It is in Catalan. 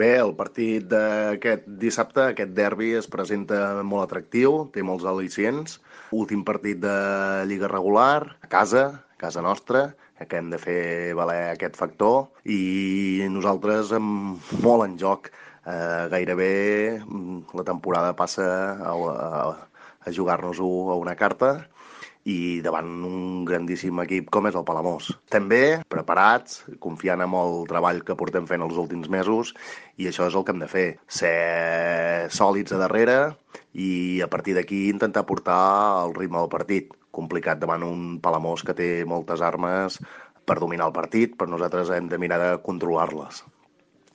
Bé, el partit d'aquest dissabte, aquest derbi, es presenta molt atractiu, té molts al·licients. Últim partit de Lliga regular, a casa nostra, que hem de fer valer aquest factor, i nosaltres amb molt en joc. Gairebé la temporada passa a jugar-nos-ho a una carta i davant un grandíssim equip com és el Palamós. També preparats, confiant en el treball que portem fent els últims mesos, i això és el que hem de fer, ser sòlids a darrere i a partir d'aquí intentar portar el ritme del partit. Complicat davant un Palamós que té moltes armes per dominar el partit, però nosaltres hem de mirar de controlar-les.